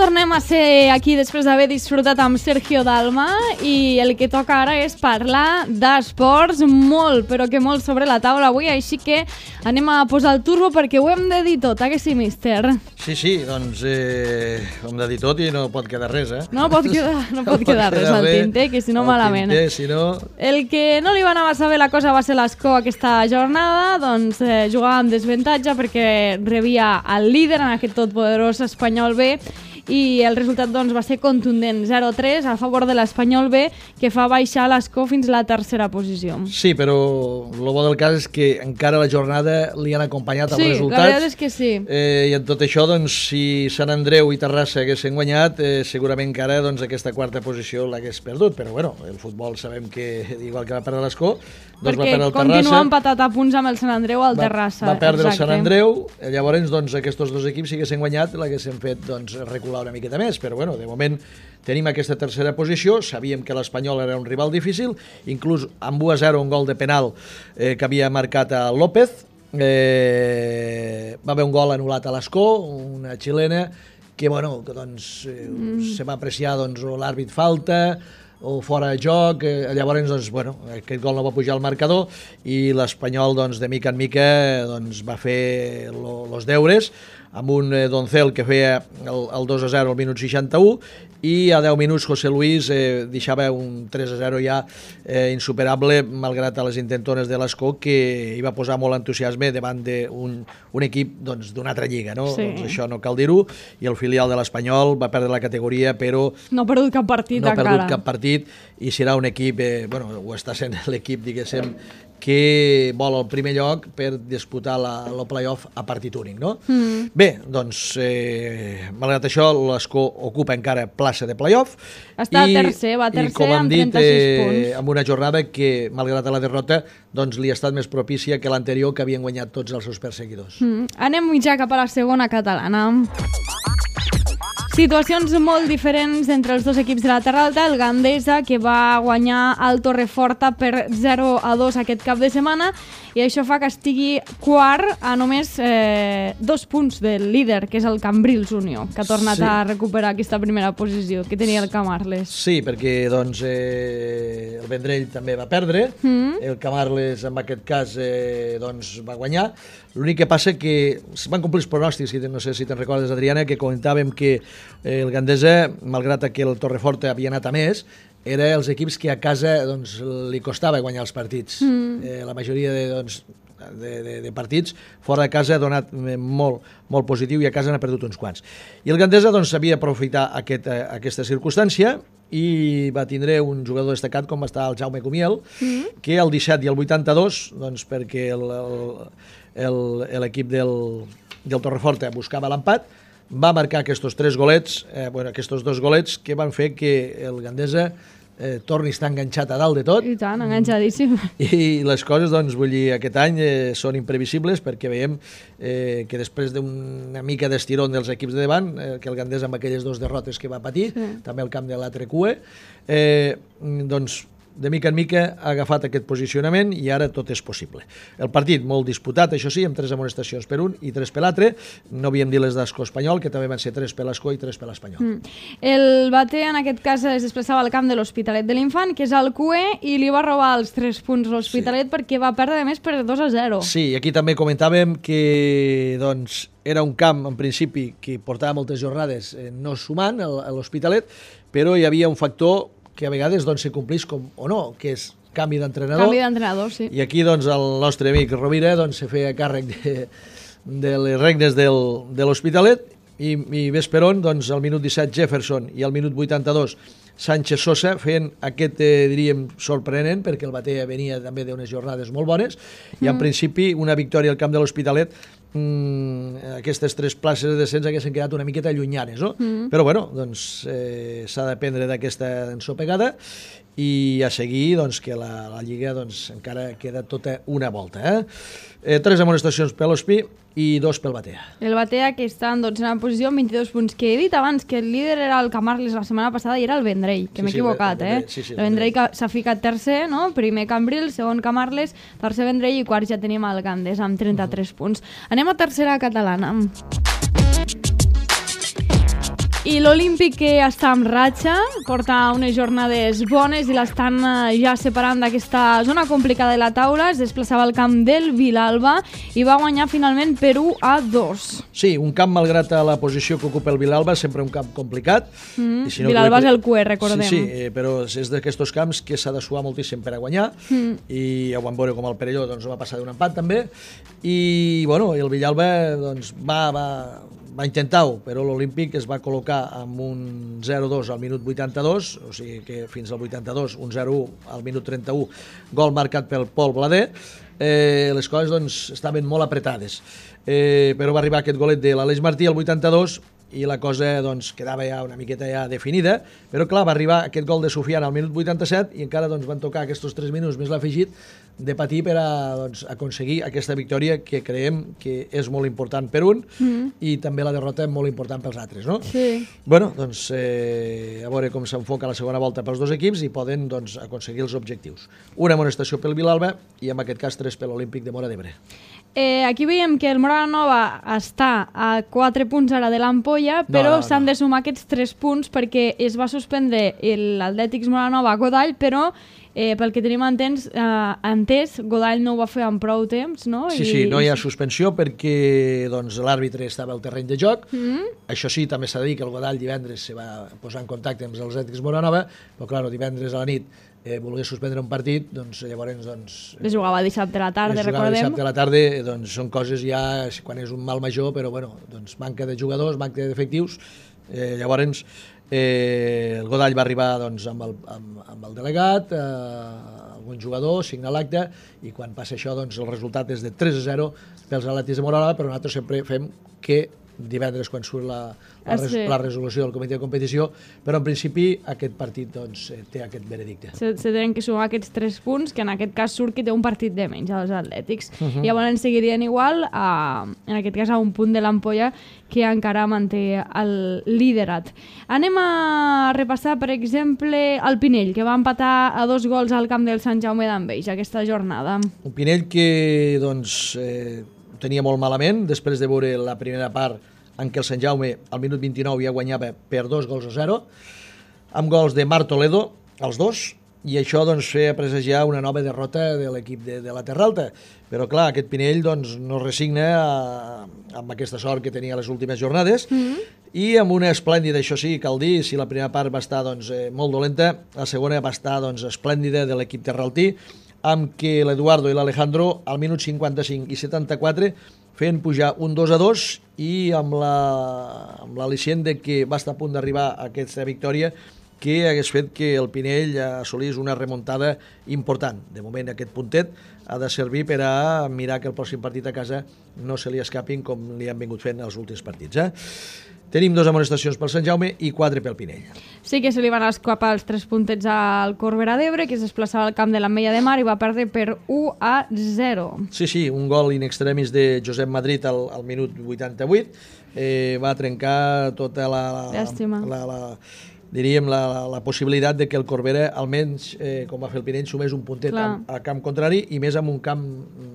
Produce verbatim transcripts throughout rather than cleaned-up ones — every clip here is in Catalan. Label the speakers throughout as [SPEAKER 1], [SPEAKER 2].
[SPEAKER 1] tornem a ser aquí després d'haver disfrutat amb Sergio Dalma i el que toca ara és parlar d'esports molt, però que molt sobre la taula avui, així que anem a posar el turbo perquè ho hem de dir tot, eh que sí, míster?
[SPEAKER 2] Sí, sí, doncs eh, ho hem de dir tot i no pot quedar res, eh?
[SPEAKER 1] No pot quedar, no pot quedar res al tinter, que si no malament.
[SPEAKER 2] Tinter, si no...
[SPEAKER 1] El que no li va anar massa bé la cosa va ser l'Escó aquesta jornada, doncs eh, jugava amb desavantatge perquè rebia el líder en aquest totpoderós Espanyol B i el resultat doncs, va ser contundent, zero a tres a favor de l'Espanyol B, que fa baixar l'Escó fins a la tercera posició.
[SPEAKER 2] Sí, però el bo del cas és que encara la jornada li han acompanyat els
[SPEAKER 1] sí,
[SPEAKER 2] resultats.
[SPEAKER 1] Sí, la veritat és que sí.
[SPEAKER 2] Eh, I en tot això, doncs, si Sant Andreu i Terrassa haguessin guanyat, eh, segurament encara doncs, aquesta quarta posició l'hagués perdut, però bueno, el futbol sabem que, igual que va perdre l'Escó, doncs va perdre el Terrassa.
[SPEAKER 1] Perquè continua empatat a punts amb el Sant Andreu al Terrassa.
[SPEAKER 2] Va, va perdre
[SPEAKER 1] exacte.
[SPEAKER 2] el Sant Andreu, llavors doncs, aquests dos equips, si haguessin guanyat, l'haguessin fet doncs, recular una miqueta més, però bueno, de moment tenim aquesta tercera posició, sabíem que l'Espanyol era un rival difícil, inclús amb u a zero un gol de penal eh, que havia marcat a López, eh, va haver un gol anul·lat a l'Escó, una xilena, que bueno, que, doncs, eh, mm. se va apreciar doncs, l'àrbit falta, o fora de joc, eh, llavors doncs, bueno, aquest gol no va pujar al marcador i l'Espanyol doncs, de mica en mica doncs, va fer lo, los deures amb un eh, Doncel que feia el, el dos a zero al minut seixanta-u i a deu minuts José Luis eh, deixava un tres a zero ja eh, insuperable malgrat a les intentones de l'Escó que hi va posar molt entusiasme davant d'un un equip doncs, d'una altra lliga, no?
[SPEAKER 1] Sí.
[SPEAKER 2] Doncs això no cal dir-ho, i el filial de l'Espanyol va perdre la categoria però
[SPEAKER 1] no ha perdut cap partit
[SPEAKER 2] no ha
[SPEAKER 1] encara.
[SPEAKER 2] perdut cap partit i serà un equip, eh, bueno, ho està sent l'equip, diguéssim, que vol el primer lloc per disputar la, el playoff a partit únic, no? Mm. Bé, doncs, eh, malgrat això, l'Escó ocupa encara plaça de playoff.
[SPEAKER 1] Està i, tercer, va tercer
[SPEAKER 2] i, com
[SPEAKER 1] amb
[SPEAKER 2] dit,
[SPEAKER 1] trenta-sis
[SPEAKER 2] eh,
[SPEAKER 1] punts.
[SPEAKER 2] Amb una jornada que, malgrat la derrota, doncs li ha estat més propícia que l'anterior, que havien guanyat tots els seus perseguidors.
[SPEAKER 1] Mm. Anem ja cap a la segona catalana. Situacions molt diferents entre els dos equips de la Terra Alta, el Gandesa, que va guanyar el Torreforta per zero a dos aquest cap de setmana, i això fa que estigui quart a només eh, dos punts del líder, que és el Cambrils Unió, que ha tornat sí. a recuperar aquesta primera posició que tenia el Camarles.
[SPEAKER 2] Sí, perquè doncs, eh, el Vendrell també va perdre, mm. el Camarles en aquest cas eh, doncs, va guanyar. L'únic que passa que van complir els pronòstics, no sé si te'n recordes, Adriana, que comentàvem que eh, el Gandesa, malgrat que el Torreforta havia anat a més, era els equips que a casa doncs, li costava guanyar els partits. Mm. Eh, la majoria de, doncs, de, de, de partits fora de casa ha donat molt, molt positiu i a casa n'ha perdut uns quants. I el Gandesa doncs, sabia aprofitar aquest, aquesta circumstància i va tindre un jugador destacat com va estar el Jaume Cumiel, mm. que el disset i el vuitanta-dos, doncs, perquè l'equip del, del Torreforta buscava l'empat, va marcar aquests tres golets, eh, bueno, aquests dos golets que van fer que el Gandesa eh, torni a estar enganxat a dalt de tot.
[SPEAKER 1] I tant, enganxadíssim.
[SPEAKER 2] I les coses, doncs, vull dir, aquest any eh, són imprevisibles perquè veiem eh, que després d'una mica d'estirón dels equips de davant, eh, que el Gandesa amb aquelles dues derrotes que va patir, sí. també el camp de l'A T R Q E, eh, doncs, de mica en mica ha agafat aquest posicionament i ara tot és possible. El partit molt disputat, això sí, amb tres amonestacions per un i tres per l'altre. No havíem dit les d'Escó Espanyol, que també van ser tres per l'Escó i tres per l'Espanyol. Mm.
[SPEAKER 1] El Bater, en aquest cas, es desplaçava al camp de l'Hospitalet de l'Infant, que és el Q E, i li va robar els tres punts a l'Hospitalet sí. perquè va perdre més per dos a zero.
[SPEAKER 2] Sí, aquí també comentàvem que doncs, era un camp, en principi, que portava moltes jornades eh, no sumant a l'Hospitalet, però hi havia un factor que a vegades doncs, se complís com o no, que és canvi d'entrenador.
[SPEAKER 1] Canvi d'entrenador, sí.
[SPEAKER 2] I aquí doncs, el nostre amic Rovira doncs, se feia càrrec de, de les regnes del, de l'Hospitalet i, i ves per on, doncs, al minut disset Jefferson i al minut vuitanta-dos Sánchez Sosa feien aquest, eh, diríem, sorprenent, perquè el Batea venia també d'unes jornades molt bones mm. i en principi una victòria al camp de l'Hospitalet mm, aquestes tres places de descens haguessin quedat una miqueta llunyanes, no? Mm. Però bueno, doncs eh, s'ha d'aprendre d'aquesta ensopegada i a seguir doncs, que la, la Lliga doncs, encara queda tota una volta. Eh? Eh, tres amonestacions per l'Hospi i dos pel Batea.
[SPEAKER 1] El Batea, que està en dotzena posició amb vint-i-dos punts, que he dit abans que el líder era el Camarles la setmana passada i era el Vendrell, que sí, m'he sí, equivocat, el, el eh? Sí, sí, el Vendrell s'ha ficat tercer, no? Primer Cambrils, segon Camarles, tercer Vendrell i quart ja tenim el Gandesa amb trenta-tres uh-huh. punts. Anem a tercera catalana. I l'Olímpic, que està amb ratxa, porta unes jornades bones i l'estan ja separant d'aquesta zona complicada de la taula. Es desplaçava al camp del Vilalba i va guanyar finalment per u a dos.
[SPEAKER 2] Sí, un camp, malgrat la posició que ocupa el Vilalba, sempre un camp complicat.
[SPEAKER 1] Mm.
[SPEAKER 2] I si no,
[SPEAKER 1] Vilalba
[SPEAKER 2] que...
[SPEAKER 1] és el Q E, recordem.
[SPEAKER 2] Sí, sí, eh, però és d'aquests camps que s'ha de suar moltíssim per a guanyar, mm. i ja ho vam veure com el Perelló doncs, va passar d'un empat també, i bueno, el Villalba doncs, va, va, va intentar-ho, però l'Olímpic es va col·locar amb un zero dos al minut vuitanta-dos, o sigui que fins al vuitanta-dos, un zero u al minut trenta-u, gol marcat pel Pol Blader. Eh, les coses doncs, estaven molt apretades, eh, però va arribar aquest golet de l'Aleix Martí al vuitanta-dos i la cosa doncs, quedava ja una miqueta ja definida, però clar, va arribar aquest gol de Sofian al minut vuitanta-set i encara doncs, van tocar aquests tres minuts més l'afegit de patir per a doncs, aconseguir aquesta victòria que creiem que és molt important per un mm. i també la derrota molt important pels altres, no?
[SPEAKER 1] Sí.
[SPEAKER 2] Bueno, doncs eh, a veure com s'enfoca la segona volta pels dos equips i poden doncs, aconseguir els objectius. Una amonestació pel Vilalba i en aquest cas tres per l'Olímpic de Móra d'Ebre.
[SPEAKER 1] Eh, aquí veiem que el Móra la Nova està a quatre punts ara de l'Ampolla, però no, no, s'han no. de sumar aquests tres punts perquè es va suspendre l'Atlètics Móra la Nova a Godall, però eh, pel que tenim entens, eh, entès, Godall no ho va fer en prou temps, no?
[SPEAKER 2] Sí, I... sí, no hi ha suspensió perquè doncs, l'àrbitre estava al terreny de joc. Mm-hmm. Això sí, també s'ha de dir que el Godall divendres se va posar en contacte amb els Atlètics Móra la Nova, però clar, divendres a la nit Eh, volia suspendre un partit, doncs llavors doncs,
[SPEAKER 1] es jugava dissabte a la tarda, recordem. Es jugava
[SPEAKER 2] dissabte a la tarda, doncs són coses ja quan és un mal major, però bueno, doncs manca de jugadors, manca d'efectius, eh, llavors eh, el Godall va arribar doncs, amb, el, amb, amb el delegat, eh, algun jugador, signa l'acte, i quan passa això doncs el resultat és de tres a zero pels Atlètics de Móra la Nova, però nosaltres sempre fem que divendres quan surt la, la, res, la resolució del comitè de competició, però en principi aquest partit doncs, té aquest veredicte.
[SPEAKER 1] Se, se tenen que sumar aquests tres punts, que en aquest cas surt que té un partit de menys als Atlètics. Uh -huh. Llavors seguirien igual, a, en aquest cas a un punt de l'Ampolla, que encara manté el liderat. Anem a repassar, per exemple, el Pinell, que va empatar a dos gols al camp del Sant Jaume d'Enveja aquesta jornada.
[SPEAKER 2] Un Pinell que doncs, eh, tenia molt malament, després de veure la primera part en què el Sant Jaume al minut vint-i-nou ja guanyava per dos gols a zero, amb gols de Marc Toledo, els dos, i això doncs, feia presagiar una nova derrota de l'equip de, de la Terra Alta. Però clar, aquest Pinell doncs, no resigna a, amb aquesta sort que tenia les últimes jornades, mm-hmm. i amb una esplèndida, això sí, cal dir, si la primera part va estar doncs, eh, molt dolenta, la segona va estar doncs, esplèndida de l'equip terraltí, amb què l'Eduardo i l'Alejandro al minut cinquanta-cinc i setanta-quatre feien pujar un dos a dos i amb l'al·licient de que va estar a punt d'arribar a aquesta victòria que hagués fet que el Pinell assolís una remuntada important. De moment aquest puntet ha de servir per a mirar que el pròxim partit a casa no se li escapin com li han vingut fent els últims partits. Eh? Tenim dues amonestacions pel Sant Jaume i quatre pel Pinell.
[SPEAKER 1] Sí que se li van escapar els tres puntets al Corbera d'Ebre, que es desplaçava al camp de l'Ametlla de Mar i va perdre per u a zero.
[SPEAKER 2] Sí, sí, un gol in extremis de Josep Madrid al, al minut vuitanta-vuit. Eh, va trencar tota la...
[SPEAKER 1] Llàstima.
[SPEAKER 2] La, la, diríem, la, la, la possibilitat de que el Corbera, almenys, eh, com va fer el Pinell, sumés un puntet al, al camp contrari i més amb un camp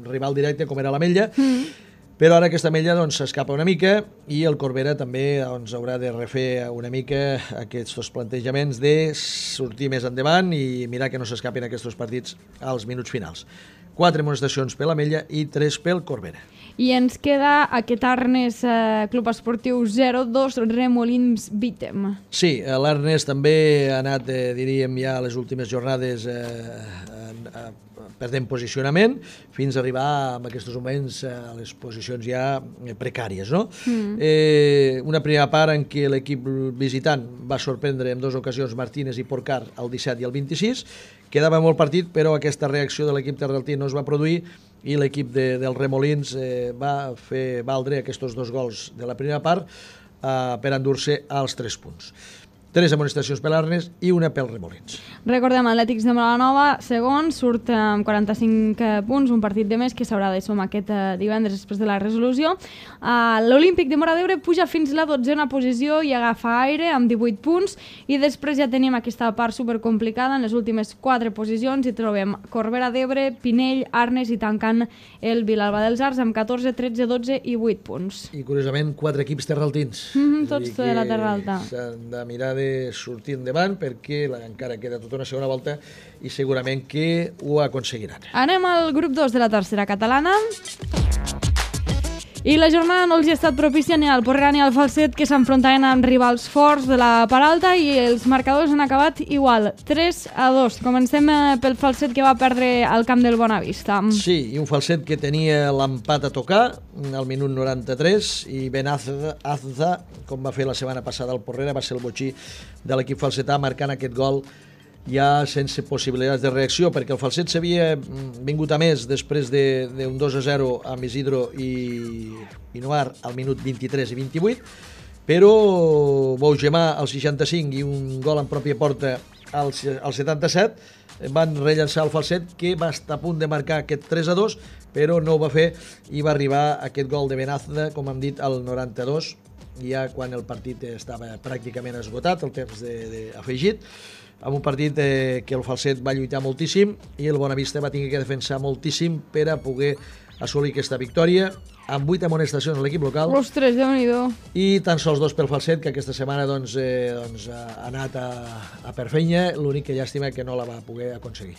[SPEAKER 2] rival directe com era l'Ametlla. Mm. Però ara aquesta Ametlla doncs, s'escapa una mica i el Corbera també doncs, haurà de refer una mica aquests plantejaments de sortir més endavant i mirar que no s'escapin aquests partits als minuts finals. Quatre amonestacions per l'Ametlla i tres pel Corbera.
[SPEAKER 1] I ens queda aquest Arnes eh, Club Esportiu zero dos Remolins Vítem.
[SPEAKER 2] Sí, l'Arnes també ha anat, eh, diríem, ja a les últimes jornades eh, a, a, perdent posicionament fins a arribar en aquests moments a les posicions ja precàries, no? Mm. Eh, una primera part en què l'equip visitant va sorprendre en dues ocasions Martínez i Porcar el disset i el vint-i-sis, quedava molt partit, però aquesta reacció de l'equip terraltí no es va produir i l'equip de, dels Remolins eh, va fer valdre aquests dos gols de la primera part eh, per endur-se als tres punts. tres amonestacions per l'Arnes i una pel Remolins.
[SPEAKER 1] Recordem, Atlètics de Molanova, segon, surt amb quaranta-cinc punts, un partit de més que s'haurà de sumar aquest divendres després de la resolució. Uh, L'Olímpic de Móra d'Ebre puja fins la dotzena posició i agafa aire amb divuit punts, i després ja tenim aquesta part supercomplicada. En les últimes quatre posicions hi trobem Corbera d'Ebre, Pinell, Arnes i tancant el Vilalba dels Arcs amb catorze, tretze, dotze i vuit punts.
[SPEAKER 2] I curiosament quatre equips terraltins.
[SPEAKER 1] Mm -hmm, tots de la Terra Alta.
[SPEAKER 2] S'han de mirar de sortir endavant perquè la, encara queda tota una segona volta i segurament que ho aconseguiran.
[SPEAKER 1] Anem al grup dos de la tercera catalana. I la jornada no els hi ha estat propícia ni al Porrera ni al Falset, que s'enfrontaven amb rivals forts de la part alta, i els marcadors han acabat igual, tres a dos. Comencem pel Falset, que va perdre al camp del Bonavista.
[SPEAKER 2] Sí, i un Falset que tenia l'empat a tocar al minut noranta-tres, i Ben Azza, Azza, com va fer la setmana passada al Porrera, va ser el botxí de l'equip falsetà marcant aquest gol ja sense possibilitats de reacció, perquè el Falset s'havia vingut a més després d'un dos a zero amb Isidro i, i Noir al minut vint-i-tres i vint-i-vuit, però Bougemà al seixanta-cinc i un gol en pròpia porta al, al setanta-set van rellençar el Falset, que va estar a punt de marcar aquest tres a dos, però no ho va fer i va arribar aquest gol de Benazda, com hem dit, al noranta-dos, ja quan el partit estava pràcticament esgotat, el temps de, de afegit, amb un partit eh, que el Falset va lluitar moltíssim i el Bonavista va tenir que defensar moltíssim per a poder assolir aquesta victòria, amb vuit amonestacions a l'equip local.
[SPEAKER 1] Ostres, Déu-n'hi-do.
[SPEAKER 2] I tan sols dos pel Falset, que aquesta setmana doncs, eh, doncs, ha anat a, a per feina, l'únic que llàstima que no la va poder aconseguir.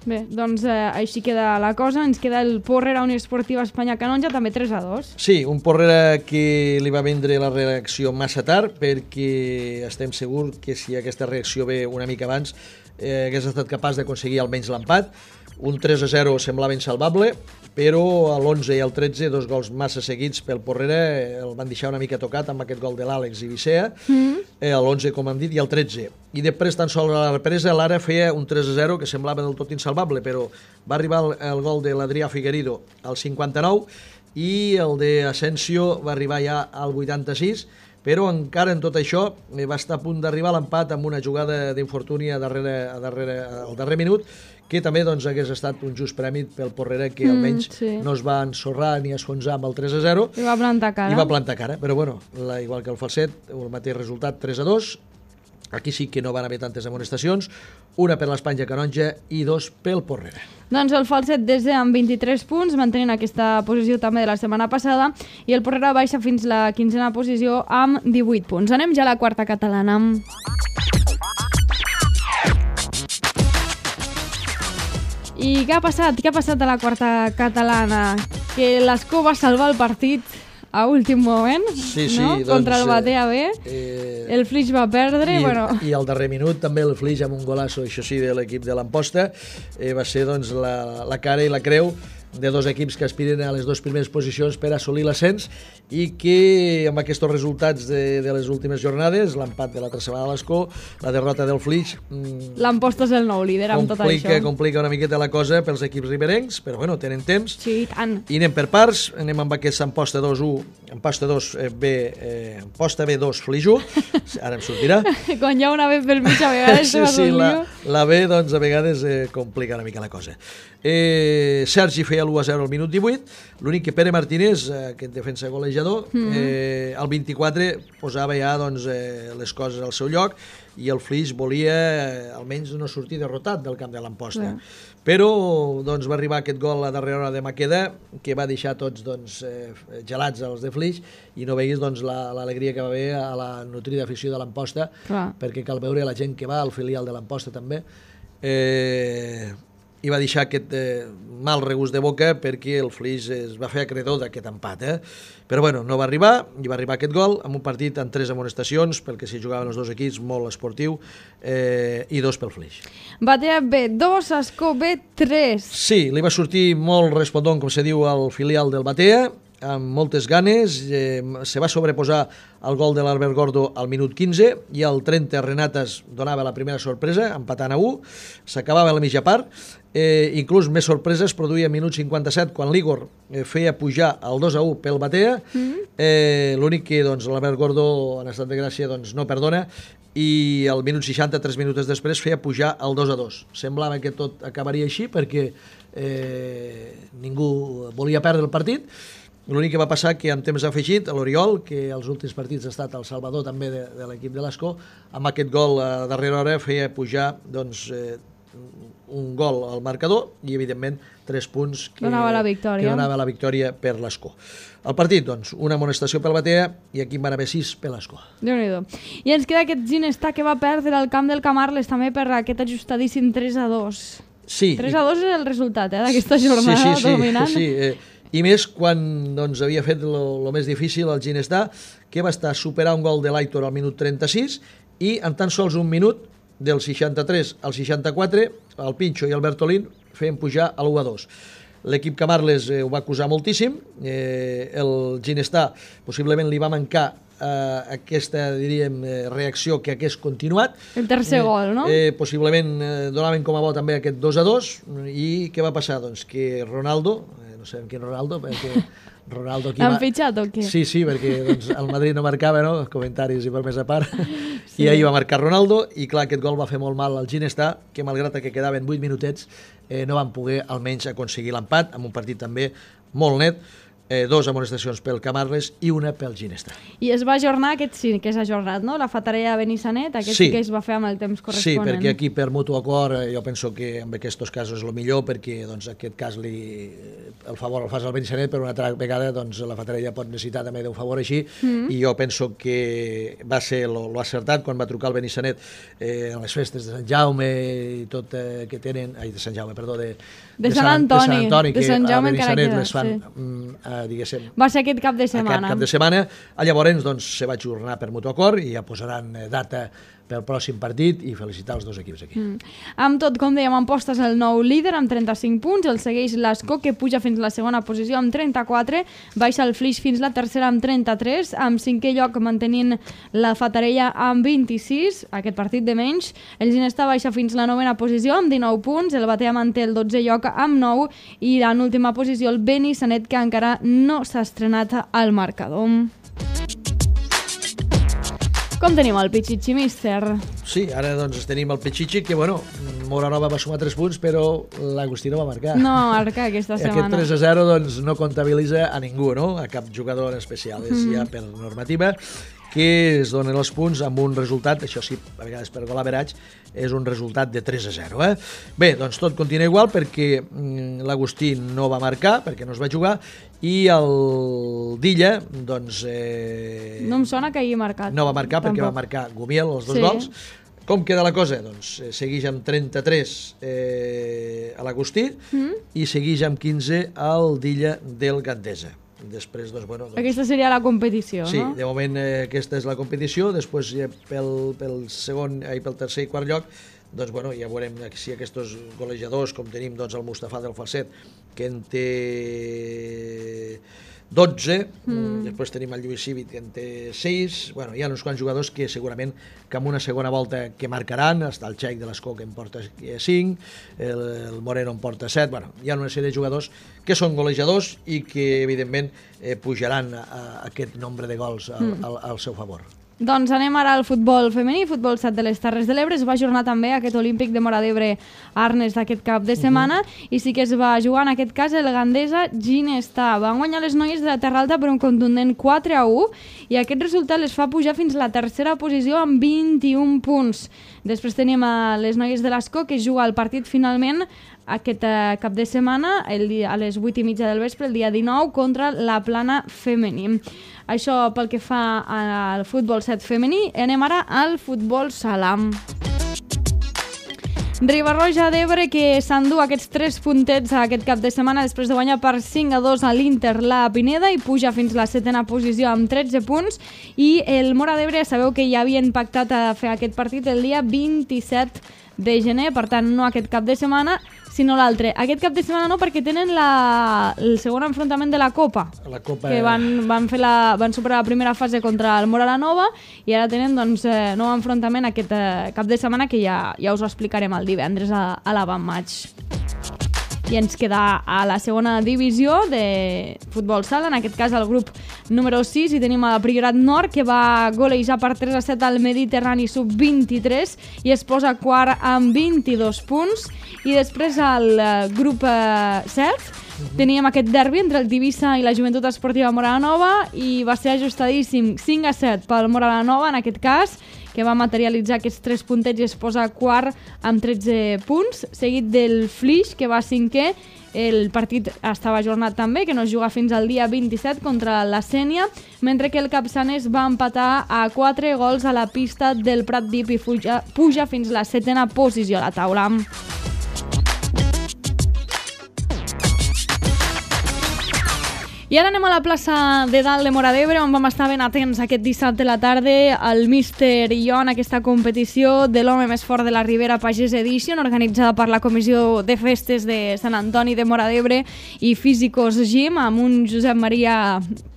[SPEAKER 1] Bé, doncs eh, així queda la cosa. Ens queda el Porrera Unió Esportiva Espanya Canonja, també tres a dos.
[SPEAKER 2] Sí, un Porrera que li va vendre la reacció massa tard, perquè estem segurs que si aquesta reacció ve una mica abans eh, hagués estat capaç d'aconseguir almenys l'empat. Un tres a zero semblava insalvable, però a l'onze i al tretze, dos gols massa seguits pel Porrera, el van deixar una mica tocat amb aquest gol de l'Àlex Ibicea, mm. eh, a l'onze, com hem dit, i al tretze. I després, tan sols a la represa, l'Ara feia un tres a zero que semblava del tot insalvable, però va arribar el, el gol de l'Adrià Figuerido al cinquanta-nou i el d'Asensio va arribar ja al vuitanta-sis, però encara en tot això va estar a punt d'arribar a l'empat amb una jugada d'infortuni a darrere, a darrere, al darrer minut, que també doncs, hagués estat un just premi pel Porrera, que almenys mm, sí. no es va ensorrar ni esfonsar amb el tres a zero.
[SPEAKER 1] I va plantar cara.
[SPEAKER 2] I va plantar cara, però bueno, la, igual que el Falset, el mateix resultat, tres a dos. Aquí sí que no van haver tantes amonestacions, una per l'Espanya Canonja i dos pel Porrera.
[SPEAKER 1] Doncs el Falset desde amb vint-i-tres punts, mantenint aquesta posició també de la setmana passada, i el Porrera baixa fins la quinzena posició amb divuit punts. Anem ja a la quarta catalana. I què ha passat? Què ha passat a la quarta catalana? Que l'Escó va salvar el partit a últim moment,
[SPEAKER 2] sí, sí,
[SPEAKER 1] no?
[SPEAKER 2] Doncs,
[SPEAKER 1] contra el Batea B.
[SPEAKER 2] Eh,
[SPEAKER 1] el Flix va perdre.
[SPEAKER 2] I,
[SPEAKER 1] bueno.
[SPEAKER 2] I al darrer minut també el Flix amb un golasso, això sí, de l'equip de l'Amposta, eh, va ser doncs, la, la cara i la creu de dos equips que aspiren a les dues primeres posicions per assolir l'ascens i que amb aquests resultats de, de les últimes jornades, l'empat de l'altra setmana a l'Escó, la derrota del Flix... Mmm,
[SPEAKER 1] L'Amposta és el nou líder amb tot això.
[SPEAKER 2] Complica una miqueta la cosa pels equips riberencs, però bueno, tenen temps.
[SPEAKER 1] Sí, tant.
[SPEAKER 2] I anem per parts, anem amb aquest Amposta dos u, Amposta dos B, eh, Amposta B dos Flix u, ara em sortirà.
[SPEAKER 1] Quan hi ha una B pel mig a vegades
[SPEAKER 2] sí, sí, la, la B doncs a vegades eh, complica una mica la cosa. Eh, Sergi feia l'u a zero al minut divuit, l'únic que Pere Martínez, eh, aquest defensa golejador, mm-hmm. eh, al vint-i-quatre posava ja doncs, eh, les coses al seu lloc i el Flix volia eh, almenys no sortir derrotat del camp de l'Amposta. Yeah. Però doncs, va arribar aquest gol a darrera hora de Maqueda que va deixar tots doncs, eh, gelats als de Flix i no veguis doncs, l'alegria que va haver a la nutrida afició de l'Amposta, perquè cal veure la gent que va al filial de l'Amposta també. Eh... i va deixar aquest eh, mal regust de boca perquè el Flix es va fer acreedor d'aquest empat. Eh? Però bueno, no va arribar, i va arribar aquest gol amb un partit amb tres amonestacions, pel que s'hi jugaven els dos equips, molt esportiu, eh, i dos pel Flix.
[SPEAKER 1] Batea B dos, Escó B tres.
[SPEAKER 2] Sí, li va sortir molt respondent, com se diu, al filial del Batea, amb moltes ganes, eh, se va sobreposar el gol de l'Albert Gordo al minut quinze i al trenta Renatas donava la primera sorpresa, empatant a u, s'acabava la mitja part Eh, inclús més sorpreses produïa a minut cinquanta-set quan l'Igor eh, feia pujar el dos a u pel Batea. Mm-hmm. eh, l'únic que doncs, l'Albert Gordó en estat de gràcia doncs, no perdona, i al minut seixanta, tres minuts després, feia pujar el dos a dos. Semblava que tot acabaria així perquè eh, ningú volia perdre el partit. L'únic que va passar que en temps afegit l'Oriol, que als últims partits ha estat el salvador també de, de l'equip de l'Escó, amb aquest gol a darrera hora feia pujar doncs, eh, un gol al marcador i evidentment tres punts que
[SPEAKER 1] donava la victòria,
[SPEAKER 2] que donava la victòria per l'Escó. El partit, doncs, una amonestació pel Batea i aquí en van haver sis per l'Escó.
[SPEAKER 1] Déu-n'hi-do. I ens queda aquest Ginestar que va perdre al camp del Camarles també per aquest ajustadíssim tres a dos.
[SPEAKER 2] Sí.
[SPEAKER 1] tres a dos és el resultat eh, d'aquesta jornada
[SPEAKER 2] sí, sí, sí,
[SPEAKER 1] dominant.
[SPEAKER 2] Sí, eh, i més quan doncs, havia fet el més difícil el Ginestar, que va estar a superar un gol de l'Aitor al minut trenta-sis i en tan sols un minut del seixanta-tres al seixanta-quatre el Pinxo i el Bertolín feien pujar a l'u a dos. L'equip Camarles eh, ho va acusar moltíssim, eh, el Ginestar possiblement li va mancar eh, aquesta, diríem, eh, reacció que hagués continuat.
[SPEAKER 1] El tercer
[SPEAKER 2] eh,
[SPEAKER 1] gol, no?
[SPEAKER 2] Eh, possiblement eh, donaven com a bo també aquest dos a dos i què va passar? Doncs que Ronaldo, eh, no sabem quin Ronaldo, perquè Ronaldo aquí...
[SPEAKER 1] Han fitxat o què?
[SPEAKER 2] Sí, sí, perquè doncs, el Madrid no marcava, no? Els comentaris i per més a part. Sí. I ahir va marcar Ronaldo i clar, aquest gol va fer molt mal al Ginestar, que malgrat que quedaven vuit minutets eh, no van poder almenys aconseguir l'empat amb un partit també molt net. Eh, dos amonestacions pel Camarles i una pel Ginestar.
[SPEAKER 1] I es va ajornar, aquest sí que s'ha ajornat, no? La Fatarella de Benissanet, aquest sí. sí que es va fer amb el temps corresponent.
[SPEAKER 2] Sí, perquè aquí per mutu acord jo penso que en aquests casos és el millor perquè doncs, aquest cas li, el favor el fas al Benissanet, però una altra vegada doncs, la Fatarella pot necessitar també d'un favor així mm. i jo penso que va ser lo, lo acertat quan va trucar el Benissanet eh, en les festes de Sant Jaume i tot eh, que tenen, ai, de Sant Jaume, perdó, de,
[SPEAKER 1] de, de, Sant, Antoni,
[SPEAKER 2] de Sant Antoni,
[SPEAKER 1] de Sant Jaume
[SPEAKER 2] que a Benissanet les fan
[SPEAKER 1] sí.
[SPEAKER 2] mm, diguéssim...
[SPEAKER 1] Va ser aquest cap de setmana.
[SPEAKER 2] Aquest cap de setmana. Llavors, doncs, se va ajornar per mutu acord i ja posaran data pel pròxim partit i felicitar els dos equips aquí. Mm.
[SPEAKER 1] Amb tot, com dèiem, en postes el nou líder amb trenta-cinc punts, el segueix l'Escó, que puja fins a la segona posició amb trenta-quatre, baixa el Flix fins la tercera amb trenta-tres, amb cinquè lloc mantenint la Fatarella amb vint-i-sis, aquest partit de menys, el Ginestar baixa fins la novena posició amb dinou punts, el Batea manté el dotzè lloc amb nou i en última posició el Benissanet, que encara no s'ha estrenat al marcador. Com tenim el Pichichi, míster?
[SPEAKER 2] Sí, ara doncs tenim el Pichichi, que bueno, Moranova va sumar tres punts, però l'Agustí no va marcar.
[SPEAKER 1] No va marcar aquesta setmana.
[SPEAKER 2] Aquest tres a zero doncs, no comptabilitza a ningú, no? A cap jugador en especial. És mm. ja per normativa que es donen els punts amb un resultat, això sí, a vegades per gol average, és un resultat de tres a zero. Eh? Bé, doncs tot continua igual perquè mm, l'Agustí no va marcar, perquè no es va jugar, i el Dilla, doncs... Eh,
[SPEAKER 1] no em sona que hagi marcat.
[SPEAKER 2] No va marcar perquè
[SPEAKER 1] tampoc.
[SPEAKER 2] Va marcar Gumiel, els dos
[SPEAKER 1] sí.
[SPEAKER 2] gols. Com queda la cosa? Doncs eh, segueix amb trenta-tres eh, a l'Agustí mm. i segueix amb quinze al Dilla del Gandesa. Després, doncs, bueno, doncs,
[SPEAKER 1] aquesta seria la competició,
[SPEAKER 2] sí,
[SPEAKER 1] no?
[SPEAKER 2] Sí, de moment eh, aquesta és la competició, després eh, pel, pel segon i pel tercer i quart lloc, doncs, bueno, ja veurem si aquests golejadors, com tenim doncs, el Mustafa del Falset, que en té dotze, mm. després tenim el Lluís Cívic, que en té sis, bueno, hi ha uns quants jugadors que segurament que amb una segona volta que marcaran, està el Txec de l'Escó que en porta cinc, el, el Moreno en porta set, bueno, hi ha una sèrie de jugadors que són golejadors i que evidentment eh, pujaran a, a aquest nombre de gols al, mm. al, al seu favor.
[SPEAKER 1] Doncs anem ara al futbol femení, futbol set de les Terres de l'Ebre. Es va ajornar també aquest Olímpic de Móra d'Ebre Arnes d'aquest cap de setmana uh-huh. i sí que es va jugar en aquest cas el Gandesa Ginestar. Van guanyar les noies de la Terra Alta per un contundent quatre a u i aquest resultat les fa pujar fins a la tercera posició amb vint-i-un punts. Després tenim a les noies de l'Escó que juga el partit finalment aquest eh, cap de setmana el dia, a les vuit i mitja del vespre, el dia dinou, contra la Plana femení. Això pel que fa al futbol set femení. Anem ara al futbol sala. Riba-roja d'Ebre que s'endú aquests tres puntets aquest cap de setmana després de guanyar per cinc a dos a l'Inter la Pineda i puja fins a la setena posició amb tretze punts, i el Móra d'Ebre sabeu que ja havien pactat a fer aquest partit el dia vint-i-set de gener, per tant no aquest cap de setmana sinó l'altre. Aquest cap de setmana no, perquè tenen la, el segon enfrontament de la Copa,
[SPEAKER 2] la Copa
[SPEAKER 1] que van, van, fer la, van superar la primera fase contra el Móra la Nova i ara tenen doncs, eh, nou enfrontament aquest eh, cap de setmana que ja, ja us ho explicarem el divendres a, a l'avantmatch. i ens queda a la segona divisió de futbol sala, en aquest cas el grup número sis, i tenim a Priorat Nord, que va golejar per tres a set al Mediterrani sub vint-i-tres i es posa quart amb vint-i-dos punts. I després al grup set teníem aquest derbi entre el Tivissa i la Joventut Esportiva Moralanova i va ser ajustadíssim cinc a set pel Moralanova, en aquest cas, que va materialitzar aquests tres puntets i es posa quart amb tretze punts, seguit del Flix, que va cinquè. El partit estava ajornat també, que no es juga fins al dia vint-i-set contra la Sénia, mentre que el Capçanes va empatar a quatre gols a la pista del Prat Dip i puja, puja fins a la setena posició a la taula. I ara anem a la plaça de dalt de Móra d'Ebre, on vam estar ben atents aquest dissabte a la tarda al míster i jo en aquesta competició de l'home més fort de la Ribera Pagès Edition, organitzada per la Comissió de Festes de Sant Antoni de Móra d'Ebre i Físicos Gym, amb un Josep Maria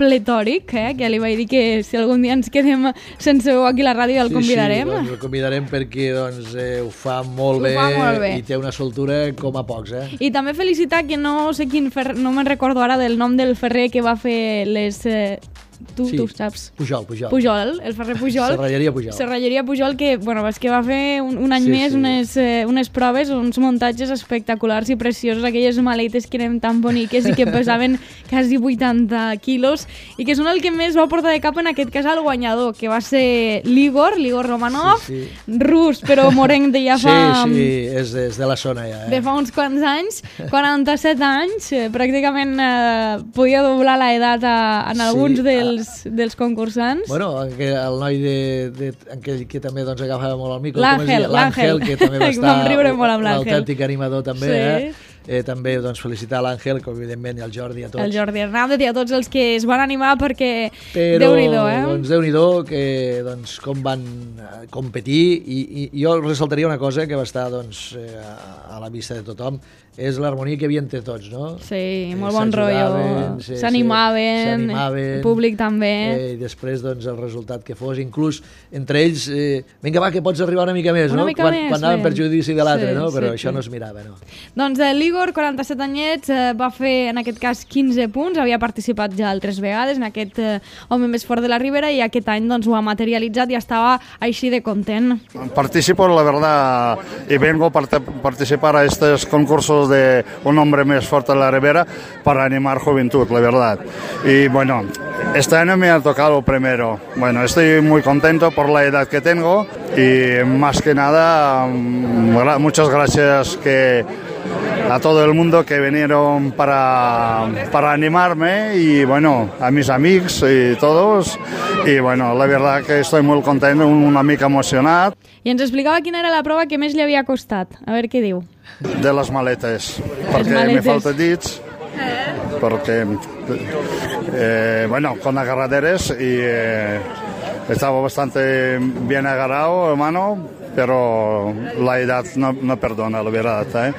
[SPEAKER 1] pletòric, eh, que li vaig dir que si algun dia ens quedem sense veu aquí a la ràdio el convidarem.
[SPEAKER 2] Sí, sí, doncs el convidarem perquè doncs, eh, ho fa molt
[SPEAKER 1] ho
[SPEAKER 2] bé,
[SPEAKER 1] fa molt bé
[SPEAKER 2] i té una soltura com a pocs. Eh?
[SPEAKER 1] I també felicitar que no sé quin ferrer, no me'n recordo ara del nom del ferrer que va fer les... Eh, tu,
[SPEAKER 2] sí.
[SPEAKER 1] tu saps?
[SPEAKER 2] Pujol, Pujol.
[SPEAKER 1] Pujol, el ferrer Pujol.
[SPEAKER 2] Serralleria Pujol.
[SPEAKER 1] Serralleria Pujol, que, bueno, és que va fer un, un any sí, més sí. Unes, eh, unes proves, uns muntatges espectaculars i preciosos, aquelles maletes que eren tan boniques i que pesaven quasi vuitanta quilos i que són el que més va portar de cap en aquest cas al guanyador, que va ser l'Igor, l'Igor Romanov, sí, sí. rus, però morenc de ja fa...
[SPEAKER 2] Sí, sí, és de, és de la zona ja. Eh?
[SPEAKER 1] De fa uns quants anys, quaranta-set anys, eh, pràcticament eh, podia doblar l'edat en alguns sí. dels dels, dels concursants.
[SPEAKER 2] Bueno, que el noi de, de, que, que també doncs, agafava molt el micro,
[SPEAKER 1] l'Àngel,
[SPEAKER 2] l'Àngel, que també va estar
[SPEAKER 1] vam riure molt amb l'Àngel,
[SPEAKER 2] l'autèntic animador també,
[SPEAKER 1] sí.
[SPEAKER 2] eh? Eh, també doncs, felicitar l'Àngel, que evidentment i el Jordi, a tots.
[SPEAKER 1] El Jordi Hernández i a tots els que es van animar perquè
[SPEAKER 2] però,
[SPEAKER 1] Déu-n'hi-do, eh?
[SPEAKER 2] Doncs Déu-n'hi-do, que doncs, com van competir, i, i jo ressaltaria una cosa que va estar doncs, eh, a la vista de tothom, és l'harmonia que hi havia entre tots, no?
[SPEAKER 1] Sí, molt bon rotllo. S'animaven, el públic també.
[SPEAKER 2] Eh, I després, doncs, el resultat que fos, inclús entre ells, eh, vinga, va, que pots arribar una mica més,
[SPEAKER 1] una
[SPEAKER 2] no?
[SPEAKER 1] mica
[SPEAKER 2] quan,
[SPEAKER 1] més,
[SPEAKER 2] quan anaven per judici de l'altre,
[SPEAKER 1] sí,
[SPEAKER 2] no? Però
[SPEAKER 1] sí,
[SPEAKER 2] això
[SPEAKER 1] sí.
[SPEAKER 2] no es mirava, no?
[SPEAKER 1] Doncs eh, l'Igor, quaranta-set anyets, eh, va fer, en aquest cas, quinze punts, havia participat ja altres vegades en aquest eh, home més fort de la Ribera i aquest any doncs, ho ha materialitzat i estava així de content.
[SPEAKER 3] Participo, la verdad, y vengo a part participar a estos concursos de un hombre más fuerte de la Ribera para animar juventud, la verdad. Y bueno, este año me ha tocado primero. Bueno, estoy muy contento por la edad que tengo y más que nada, muchas gracias que a todo el mundo que vinieron para, para animarme y bueno, a mis amigos y todos. Y bueno, la verdad que estoy muy contento, una mica emocionat.
[SPEAKER 1] I ens explicava quina era la prova que més li havia costat. A veure què diu.
[SPEAKER 3] De les maletes, perquè me falta dits, perquè, eh, bueno, con agarraderes y eh, estaba bastante bien agarrado, hermano, pero la edad no, no perdona, la verdad, eh?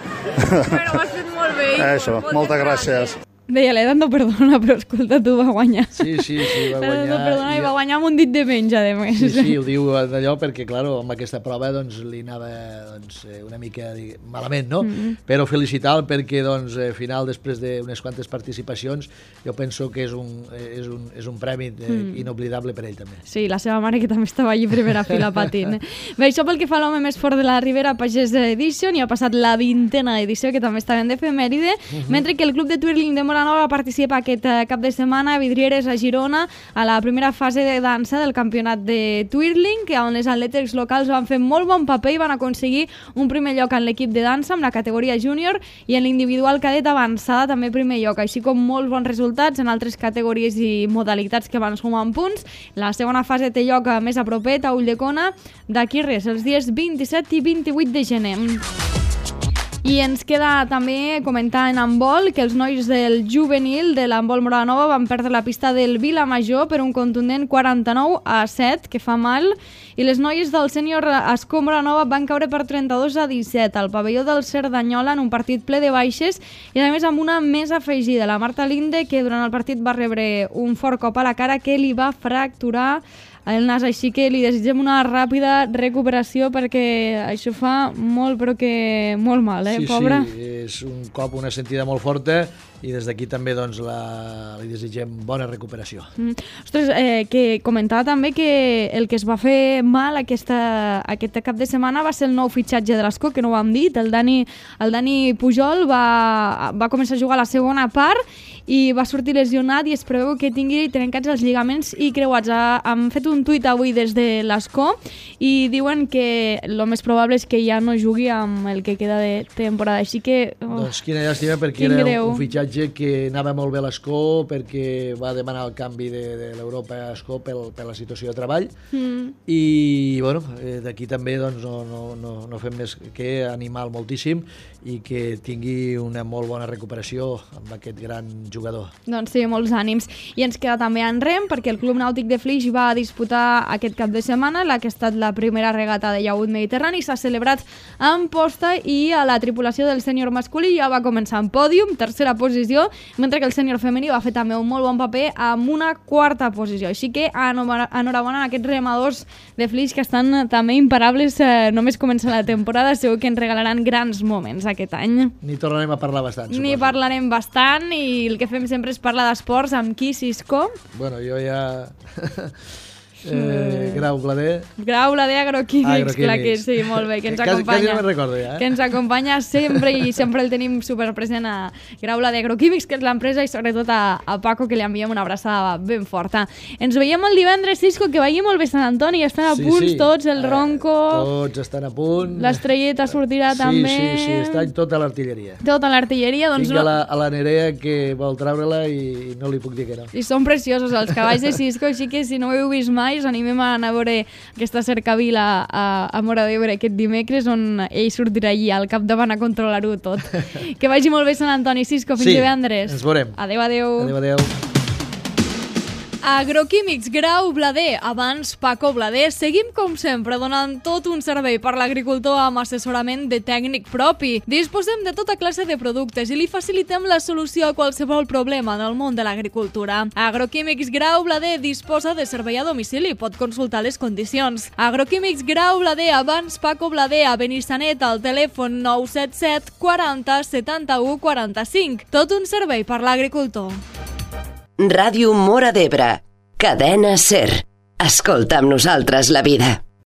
[SPEAKER 1] Però ho has fet molt bé.
[SPEAKER 3] Eso, moltes gràcies.
[SPEAKER 1] Deia, l'edat no perdona, però escolta, tu va guanyar.
[SPEAKER 2] Sí, sí, sí, va guanyar.
[SPEAKER 1] No perdona, i va guanyar amb un dit de menys, a més.
[SPEAKER 2] Sí, sí, ho diu d'allò perquè, clar, amb aquesta prova doncs, li anava doncs, una mica malament, no? Mm -hmm. Però felicitar-lo perquè, doncs, al final, després d'unes quantes participacions, jo penso que és un, és un, és un premi mm. inoblidable per ell, també.
[SPEAKER 1] Sí, la seva mare, que també estava allí primera fila patint. Bé, això pel que fa a l'home més fort de la Ribera Pagès Edition, i ha passat la vintena edició, que també està ben d'efemèride, mm -hmm. mentre que el club de twirling de Moranova participa aquest cap de setmana a Vidrieres, a Girona, a la primera fase de dansa del campionat de twirling, on les atletes locals van fer molt bon paper i van aconseguir un primer lloc en l'equip de dansa, amb la categoria júnior, i en l'individual cadet avançada també primer lloc, així com molts bons resultats en altres categories i modalitats que van sumar en punts. La segona fase té lloc més a propet, a Ulldecona, d'aquí res, els dies vint-i-set i vint-i-vuit de gener. I ens queda també comentar en handbol que els nois del juvenil de l'handbol Moranova van perdre la pista del Vilamajor per un contundent quaranta-nou a set, que fa mal, i les noies del sènior Escó Moranova van caure per trenta-dos a disset al pavelló del Cerdanyola en un partit ple de baixes i a més amb una més afegida, la Marta Linde, que durant el partit va rebre un fort cop a la cara que li va fracturar el nas, així que li desitgem una ràpida recuperació perquè això fa molt, però que molt mal, eh,
[SPEAKER 2] sí,
[SPEAKER 1] pobra?
[SPEAKER 2] Sí, és un cop, una sentida molt forta i des d'aquí també doncs, la, li desitgem bona recuperació.
[SPEAKER 1] Mm. Ostres, eh, que comentava també que el que es va fer mal aquesta, aquest cap de setmana va ser el nou fitxatge de l'Escó, que no ho hem dit, el Dani, el Dani Pujol va, va començar a jugar a la segona part i va sortir lesionat i es preveu que tingui trencats els lligaments i creuats. Han fet un tuit avui des de l'Escó i diuen que el més probable és que ja no jugui amb el que queda de temporada, així que... Oh,
[SPEAKER 2] doncs quina llàstima, perquè era greu. un fitxatge que anava molt bé a l'Escó, perquè va demanar el canvi de, de l'Europa a Escó pel, per la situació de treball mm. i bueno, d'aquí també doncs, no, no, no, no fem més que animar moltíssim i que tingui una molt bona recuperació amb aquest gran jugador.
[SPEAKER 1] Doncs sí, molts ànims. I ens queda també en rem, perquè el Club Nàutic de Flix va disputar aquest cap de setmana la que ha estat la primera regata de llaüt mediterrani, s'ha celebrat en posta i a la tripulació del sènior masculí ja va començar en pòdium, tercera posició, mentre que el sènior femení va fer també un molt bon paper amb una quarta posició. Així que enhorabona a aquests remadors de Flix que estan també imparables, eh, només comença la temporada, segur que ens regalaran grans moments aquest any.
[SPEAKER 2] Ni tornarem a parlar bastant, suposo.
[SPEAKER 1] Ni parlarem bastant i el que fem sempre és parlar d'esports amb qui, Cisco?
[SPEAKER 2] Bueno, jo ja... Eh, Grau Blader.
[SPEAKER 1] Grau Blader Agroquímics, clar que sí, molt bé, que ens
[SPEAKER 2] quasi,
[SPEAKER 1] acompanya.
[SPEAKER 2] Quasi no me'n recordo ja, eh?
[SPEAKER 1] Que ens acompanya sempre i sempre el tenim superpresent a Grau Blader Agroquímics, que és l'empresa, i sobretot a, a Paco, que li enviem una abraçada ben forta. Ens veiem el divendres, Cisco, que vagi molt bé Sant Antoni, estan a
[SPEAKER 2] sí,
[SPEAKER 1] punts
[SPEAKER 2] sí.
[SPEAKER 1] tots, el Ronco...
[SPEAKER 2] Eh, tots estan a punt.
[SPEAKER 1] L'estrelleta sortirà
[SPEAKER 2] sí,
[SPEAKER 1] també.
[SPEAKER 2] Sí, sí, està tota l'artilleria.
[SPEAKER 1] Tota l'artilleria, doncs...
[SPEAKER 2] Tinc a la, a la Nerea que vol treure-la i no li puc dir que no.
[SPEAKER 1] I són preciosos els cavalls de Cisco, així que si no ho heu vist mai, us animem a anar a veure aquesta cercavila a, a Móra d'Ebre aquest dimecres, on ell sortirà allà al capdavant a controlar-ho tot. Que vagi molt bé Sant Antoni, Cisco, fins
[SPEAKER 2] sí,
[SPEAKER 1] divendres.
[SPEAKER 2] Ens veurem.
[SPEAKER 1] Adéu, adéu.
[SPEAKER 2] Adéu, adéu.
[SPEAKER 1] Agroquímics Grau Blader, abans Paco Blader, seguim com sempre donant tot un servei per l'agricultor amb assessorament de tècnic propi. Disposem de tota classe de productes i li facilitem la solució a qualsevol problema en el món de l'agricultura. Agroquímics Grau Blader disposa de servei a domicili, pot consultar les condicions. Agroquímics Grau Blader, abans Paco Blader, a Benissanet, al telèfon nou set set quaranta setanta-u quaranta-cinc. Tot un servei per l'agricultor.
[SPEAKER 4] Ràdio Móra d'Ebre, cadena SER. Escolta amb nosaltres la vida.